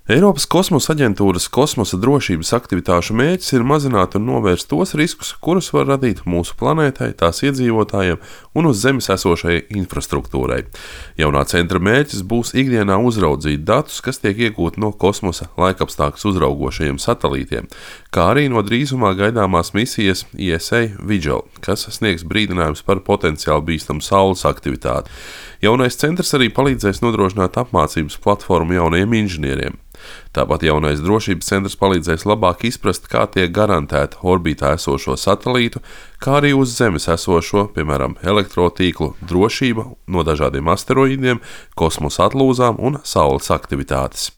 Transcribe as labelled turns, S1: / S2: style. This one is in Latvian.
S1: Eiropas kosmosa aģentūras kosmosa drošības aktivitāšu mērķis ir mazināt un novērst tos riskus, kurus var radīt mūsu planētai, tās iedzīvotājiem un uz Zemes esošajai infrastruktūrai. Jaunā centra mērķis būs ikdienā uzraudzīt datus, kas tiek iegūti no kosmosa laikapstākļus uzraugošajiem satelītiem, kā arī no drīzumā gaidāmās misijas ESA Vigil, kas sniegs brīdinājumus par potenciāli bīstamu Saules aktivitāti. Jaunais centrs arī palīdzēs nodrošināt apmācības platformu jaunajiem inženieriem. Tāpat jaunais drošības centrs palīdzēs labāk izprast, kā tiek garantēta orbītā esošo satelītu, kā arī uz Zemes esošo, piemēram, elektrotīklu drošība no dažādiem asteroīdiem, kosmosa atlūzām un Saules aktivitātes.